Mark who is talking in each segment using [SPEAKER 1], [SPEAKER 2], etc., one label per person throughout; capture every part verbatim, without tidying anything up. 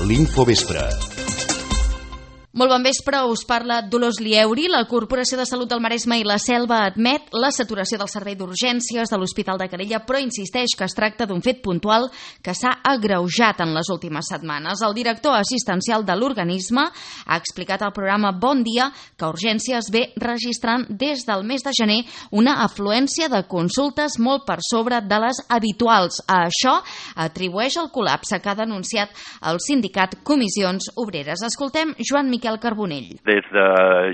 [SPEAKER 1] L'Infovespre.
[SPEAKER 2] Molt bon vespre, us parla Dolors Lieuri. La Corporació de Salut del Maresme i la Selva admet la saturació del servei d'urgències de l'Hospital de Calella, però insisteix que es tracta d'un fet puntual que s'ha agreujat en les últimes setmanes. El director assistencial de l'organisme ha explicat al programa Bon Dia que Urgències ve registrant des del mes de gener una afluència de consultes molt per sobre de les habituals. A això atribueix el col·lapse que ha denunciat el sindicat Comissions Obreres. Escoltem Joan Miquel Carbonell.
[SPEAKER 3] Des de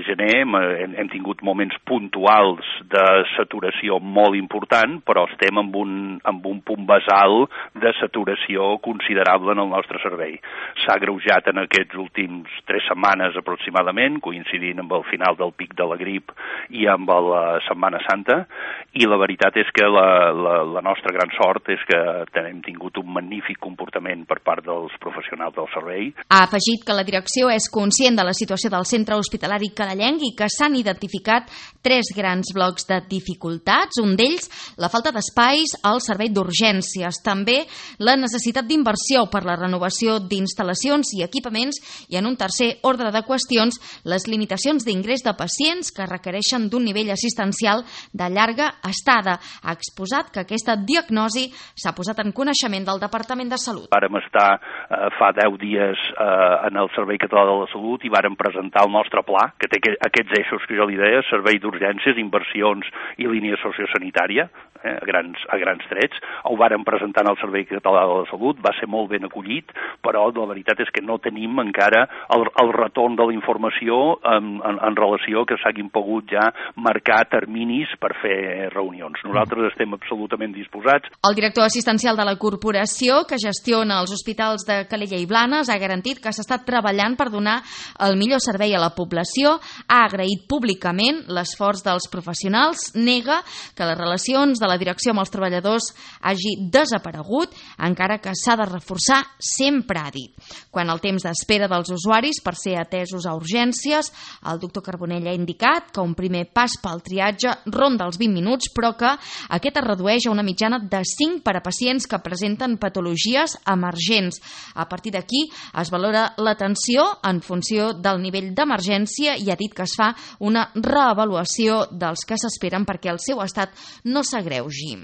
[SPEAKER 3] gener hem, hem tingut moments puntuals de saturació molt important, però estem amb un, amb un punt basal de saturació considerable en el nostre servei. S'ha agreujat en aquests últims tres setmanes aproximadament, coincidint amb el final del pic de la grip i amb la Setmana Santa, i la veritat és que la, la, la nostra gran sort és que hem tingut un magnífic comportament per part dels professionals del servei.
[SPEAKER 2] Ha afegit que la direcció és conscient de la situació del centre hospitalari calellenc i que s'han identificat tres grans blocs de dificultats, un d'ells la falta d'espais al servei d'urgències, també la necessitat d'inversió per la renovació d'instal·lacions i equipaments i, en un tercer ordre de qüestions, les limitacions d'ingrés de pacients que requereixen d'un nivell assistencial de llarga estada. Ha exposat que aquesta diagnosi s'ha posat en coneixement del Departament de Salut.
[SPEAKER 3] Vàrem estar eh, fa deu dies eh, en el Servei Català de la Salut i vàrem presentar el nostre pla, que té aquests eixos que jo li deia, servei d'urgències, inversions i línia sociosanitària, eh, a, grans, a grans trets. Ho vàrem presentar en el Servei Català de la Salut, va ser molt ben acollit, però la veritat és que no tenim encara el, el retorn de la informació en, en, en relació que s'hagin pogut ja marcar terminis per fer reunions. Nosaltres estem absolutament disposats.
[SPEAKER 2] El director assistencial de la corporació, que gestiona els hospitals de Calella i Blanes, ha garantit que s'ha estat treballant per donar el millor servei a la població, ha agraït públicament l'esforç dels professionals, nega que les relacions de la direcció amb els treballadors hagi desaparegut, encara que s'ha de reforçar, sempre ha dit. Quan el temps d'espera dels usuaris per ser atesos a urgències, el doctor Carbonell ha indicat que un primer pas pel triatge ronda els vint minuts, però que aquest es redueix a una mitjana de cinc per a pacients que presenten patologies emergents. A partir d'aquí es valora l'atenció en funció del nivell d'emergència i ha dit que es fa una reavaluació dels que s'esperen perquè el seu estat no s'agreugi.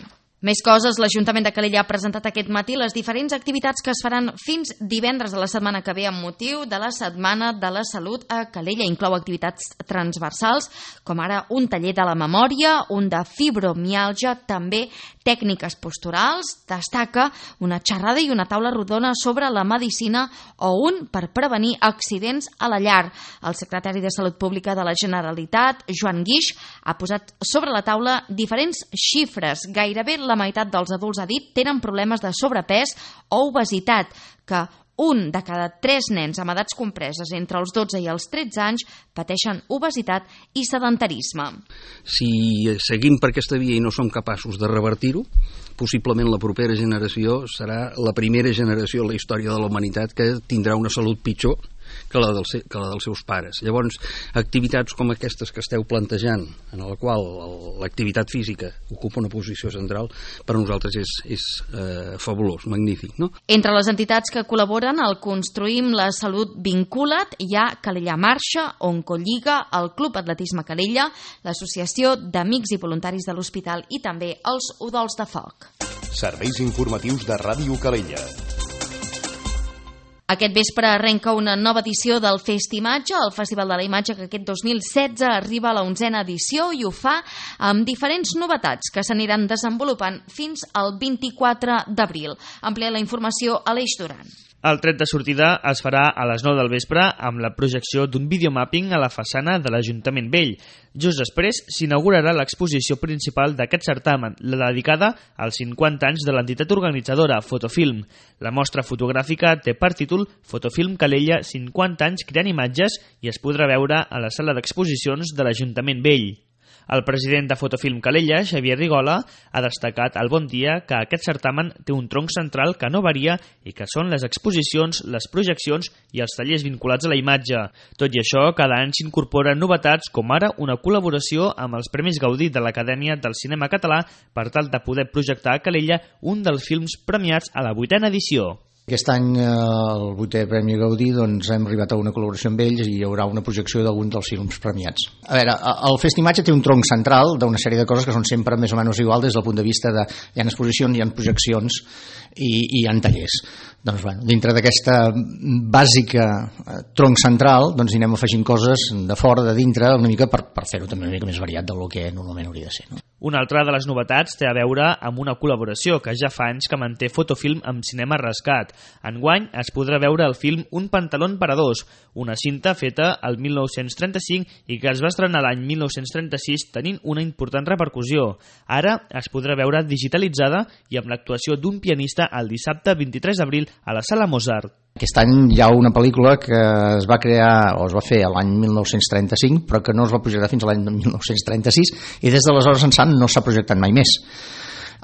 [SPEAKER 2] Més coses, l'Ajuntament de Calella ha presentat aquest matí les diferents activitats que es faran fins divendres de la setmana que ve amb motiu de la Setmana de la Salut a Calella. Inclou activitats transversals, com ara un taller de la memòria, un de fibromiàlgia, també tècniques posturals, destaca una xerrada i una taula rodona sobre la medicina o un per prevenir accidents a la llar. El secretari de Salut Pública de la Generalitat, Joan Guix, ha posat sobre la taula diferents xifres. Gairebé la meitat dels adults, ha dit, tenen problemes de sobrepès o obesitat, que un de cada tres nens amb edats compreses entre els dotze i els tretze anys pateixen obesitat i sedentarisme.
[SPEAKER 4] Si seguim per aquesta via i no som capaços de revertir-ho, possiblement la propera generació serà la primera generació en la història de la humanitat que tindrà una salut pitjor que la, del, que la dels seus pares. Llavors, activitats com aquestes que esteu plantejant, en la qual l'activitat física ocupa una posició central, per a nosaltres és, és eh, fabulós, magnífic, no?
[SPEAKER 2] Entre les entitats que col·laboren al Construïm la Salut Vincula't hi ha Calella Marxa, Oncolliga, el Club Atletisme Calella, l'Associació d'Amics i Voluntaris de l'Hospital i també els Udols de Foc.
[SPEAKER 1] Serveis informatius de Ràdio Calella.
[SPEAKER 2] Aquest vespre arrenca una nova edició del Festimatge, el Festival de la Imatge que aquest dos mil setze arriba a la onzena edició i ho fa amb diferents novetats que s'aniran desenvolupant fins al vint-i-quatre d'abril. Amplia la informació a l'Eix Duran.
[SPEAKER 5] El tret de sortida es farà a les nou del vespre amb la projecció d'un videomàpping a la façana de l'Ajuntament Vell. Just després s'inaugurarà l'exposició principal d'aquest certamen, la dedicada als cinquanta anys de l'entitat organitzadora Fotofilm. La mostra fotogràfica té per títol Fotofilm Calella, cinquanta anys creant imatges i es podrà veure a la sala d'exposicions de l'Ajuntament Vell. El president de Fotofilm Calella, Xavier Rigola, ha destacat al Bon Dia que aquest certamen té un tronc central que no varia i que són les exposicions, les projeccions i els tallers vinculats a la imatge. Tot i això, cada any s'incorporen novetats com ara una col·laboració amb els Premis Gaudí de l'Acadèmia del Cinema Català per tal de poder projectar a Calella un dels films premiats a la vuitena edició.
[SPEAKER 6] Aquest any, el vuitè Premi Gaudí, doncs hem arribat a una col·laboració amb ells i hi haurà una projecció d'alguns dels films premiats. A veure, el Festimatge té un tronc central d'una sèrie de coses que són sempre més o menys igual des del punt de vista de hi ha exposicions, hi ha projeccions i, i hi ha tallers. Doncs, bueno, dintre d'aquesta bàsica tronc central, doncs hi anem afegint coses de fora, de dintre, una mica per, per fer-ho també una mica més variat del que normalment hauria de ser, no?
[SPEAKER 5] Una altra de les novetats té a veure amb una col·laboració que ja fa anys que manté Fotofilm amb Cinema Rescat. Enguany es podrà veure el film Un pantalón para dos, una cinta feta el mil nou-cents trenta-cinc i que es va estrenar l'any mil nou-cents trenta-sis tenint una important repercussió. Ara es podrà veure digitalitzada i amb l'actuació d'un pianista el dissabte vint-i-tres d'abril a la Sala Mozart.
[SPEAKER 6] Aquest any hi ha una pel·lícula que es va crear o es va fer l'any mil nou-cents trenta-cinc però que no es va projectar fins a l'any mil nou-cents trenta-sis i des d'aleshores ençà no s'ha projectat mai més.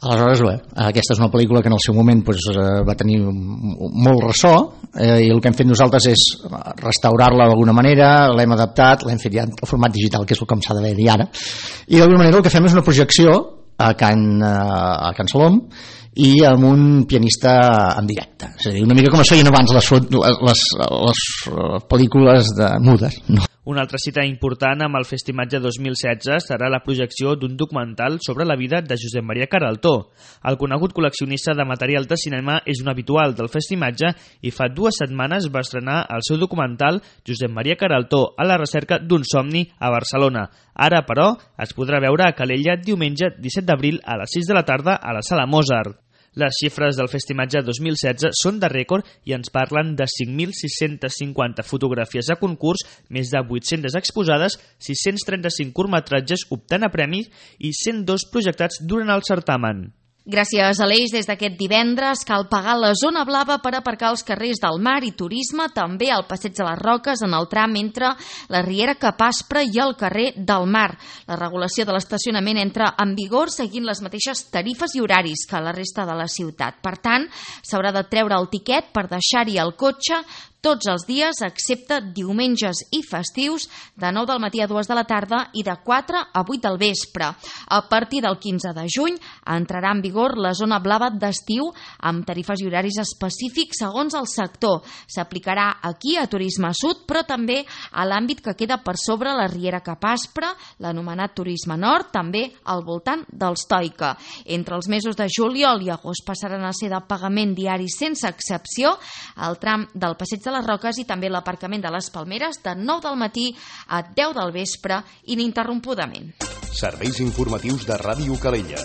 [SPEAKER 6] Aleshores, bé, aquesta és una pel·lícula que en el seu moment doncs, va tenir molt ressò eh, i el que hem fet nosaltres és restaurar-la d'alguna manera, l'hem adaptat, l'hem fet ja en format digital, que és el que s'ha d'haver dir ara, i d'alguna manera el que fem és una projecció a Can, a Can Salom i amb un pianista en directe, és a dir, una mica com es feien abans les, les, les pel·lícules de mudes, no?
[SPEAKER 5] Una altra cita important amb el Festimatge dos mil setze serà la projecció d'un documental sobre la vida de Josep Maria Queraltó. El conegut col·leccionista de material de cinema és un habitual del Festimatge i fa dues setmanes va estrenar el seu documental Josep Maria Queraltó a la recerca d'un somni a Barcelona. Ara, però, es podrà veure a Calella diumenge disset d'abril a les sis de la tarda a la Sala Mozart. Les xifres del Festimatge dos mil setze són de rècord i ens parlen de cinc mil sis-cents cinquanta fotografies a concurs, més de vuit-centes exposades, sis-cents trenta-cinc curtmetratges optant a premis i cent dos projectats durant el certamen.
[SPEAKER 2] Gràcies a l'Eix, des d'aquest divendres cal pagar la zona blava per aparcar als carrers del Mar i Turisme, també al Passeig de les Roques en el tram entre la Riera Capaspre i el carrer del Mar. La regulació de l'estacionament entra en vigor seguint les mateixes tarifes i horaris que a la resta de la ciutat. Per tant, s'haurà de treure el tiquet per deixar-hi el cotxe tots els dies, excepte diumenges i festius, de nou del matí a dues de la tarda i de quatre a vuit del vespre. A partir del quinze de juny entrarà en vigor la zona blava d'estiu amb tarifes i horaris específics segons el sector. S'aplicarà aquí a Turisme Sud, però també a l'àmbit que queda per sobre la Riera Capaspre, l'anomenat Turisme Nord, també al voltant dels Toica. Entre els mesos de juliol i agost passaran a ser de pagament diari sense excepció el tram del Passeig de les Roques i també l'aparcament de les Palmeres de nou del matí a deu del vespre ininterrompudament.
[SPEAKER 1] Serveis informatius de Ràdio Calella.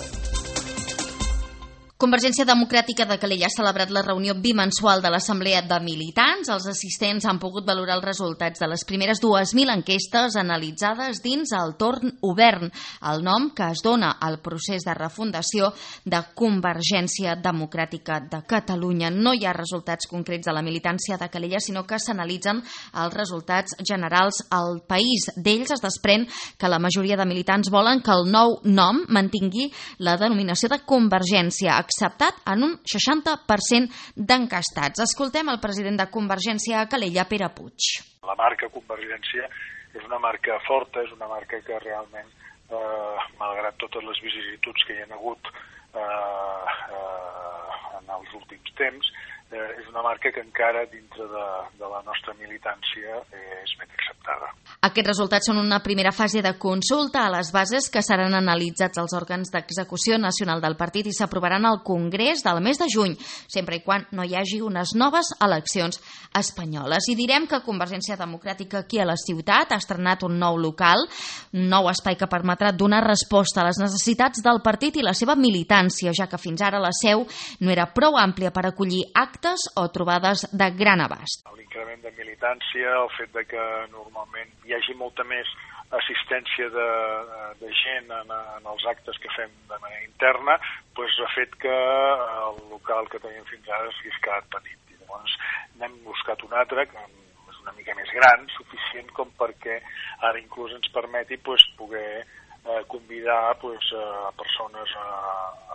[SPEAKER 2] Convergència Democràtica de Calella ha celebrat la reunió bimensual de l'Assemblea de Militants. Els assistents han pogut valorar els resultats de les primeres dues mil enquestes analitzades dins el torn obert, el nom que es dona al procés de refundació de Convergència Democràtica de Catalunya. No hi ha resultats concrets de la militància de Calella, sinó que s'analitzen els resultats generals al país. D'ells es desprèn que la majoria de militants volen que el nou nom mantingui la denominació de Convergència, acceptat en un seixanta per cent d'encastats. Escoltem el president de Convergència a Calella, Pere Puig.
[SPEAKER 7] La marca Convergència és una marca forta, és una marca que realment, eh, malgrat totes les vicissituds que hi ha hagut eh, eh, en els últims temps, eh, és una marca que encara dintre de, de la nostra militància eh, és ben acceptada.
[SPEAKER 2] Aquests resultats són una primera fase de consulta a les bases que seran analitzats als òrgans d'execució nacional del partit i s'aprovaran al Congrés del mes de juny, sempre i quan no hi hagi unes noves eleccions espanyoles. I direm que Convergència Democràtica aquí a la ciutat ha estrenat un nou local, un nou espai que permetrà donar resposta a les necessitats del partit i la seva militància, ja que fins ara la seu no era prou àmplia per acollir actes o trobades de gran abast.
[SPEAKER 7] L'increment de militància, el fet de que normalment hi hagi molta més assistència de, de gent en, en els actes que fem de manera interna, doncs ha fet que el local que teníem fins ara s'hagués quedat petit. I llavors n'hem buscat un altre, que és una mica més gran, suficient com perquè ara inclús ens permeti doncs, poder eh, convidar doncs, a persones a,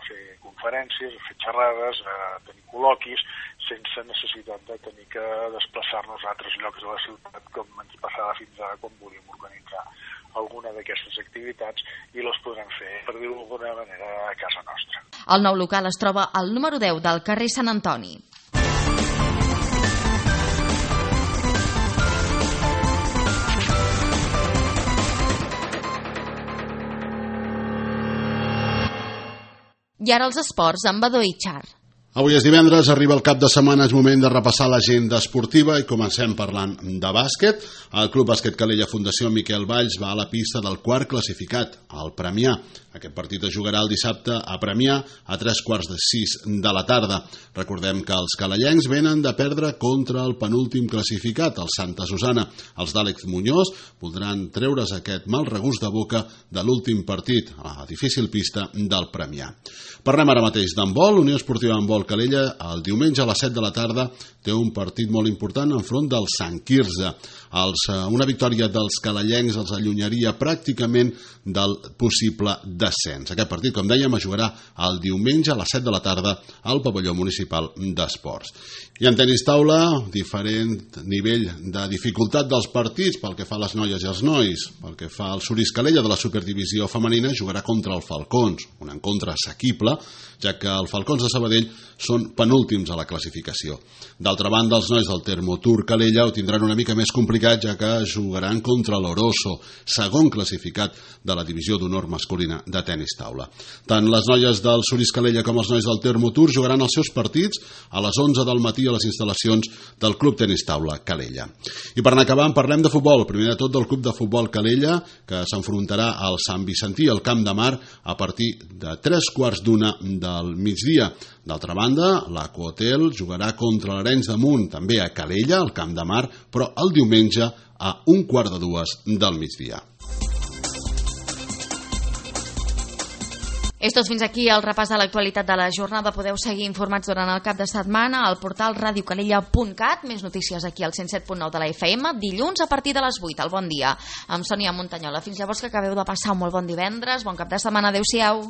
[SPEAKER 7] a fer conferències, a fer xerrades, a tenir col·loquis, sense necessitat de tenir que desplaçar-nos a altres llocs de la ciutat com ens passava fins ara quan volíem organitzar alguna d'aquestes activitats i les podrem fer, per dir-ho d'alguna manera, a casa nostra.
[SPEAKER 2] El nou local es troba al número deu del carrer Sant Antoni. I ara els esports amb Badó i Char.
[SPEAKER 8] Avui és divendres, arriba el cap de setmana, és moment de repassar l'agenda esportiva i comencem parlant de bàsquet. El Club Bàsquet Calella Fundació Miquel Valls va a la pista del quart classificat, el Premià. Aquest partit es jugarà el dissabte a Premià a tres quarts de sis de la tarda. Recordem que els calellencs venen de perdre contra el penúltim classificat, el Santa Susana. Els d'Àlex Muñoz voldran treure's aquest mal regust de boca de l'últim partit, a la difícil pista del Premià. Parlem ara mateix d'handbol. Unió Esportiva Handbol Calella el diumenge a les set de la tarda té un partit molt important enfront del Sant Quirze. Els, una victòria dels calellencs els allunyaria pràcticament del possible descens. Aquest partit, com dèiem, es jugarà el diumenge a les set de la tarda al pavelló municipal d'esports. I en tenis taula, diferent nivell de dificultat dels partits pel que fa a les noies i els nois. Pel que fa al Suris Calella de la Superdivisió femenina, jugarà contra el Falcons, un encontre assequible, ja que els Falcons de Sabadell són penúltims a la classificació. D'altra banda, els nois del Termotur Calella ho tindran una mica més complicat, ja que jugaran contra l'Oroso, segon classificat de la divisió d'honor masculina de tenis taula. Tant les noies del Suris Calella com els nois del Termotur jugaran els seus partits a les onze del matí a les instal·lacions del Club Tenis Taula Calella. I per anar acabant, parlem de futbol. Primer de tot del Club de Futbol Calella, que s'enfrontarà al Sant Vicentí, al Camp de Mar, a partir de tres quarts d'una del migdia. D'altra banda, l'Aquahotel jugarà contra l'Arenys de Munt, també a Calella, al Camp de Mar, però el diumenge a un quart de dues del migdia.
[SPEAKER 2] És tot fins aquí el repàs de l'actualitat de la jornada. Podeu seguir informats durant el cap de setmana al portal radio calella punt cat. Més notícies aquí al cent set punt nou de la F M, dilluns a partir de les vuit. Al Bon Dia, amb Sònia Montanyola. Fins llavors, que acabeu de passar un molt bon divendres. Bon cap de setmana. Adéu-siau.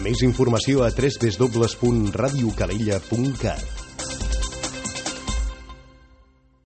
[SPEAKER 1] Més informació a w w w punt radio calella punt cat.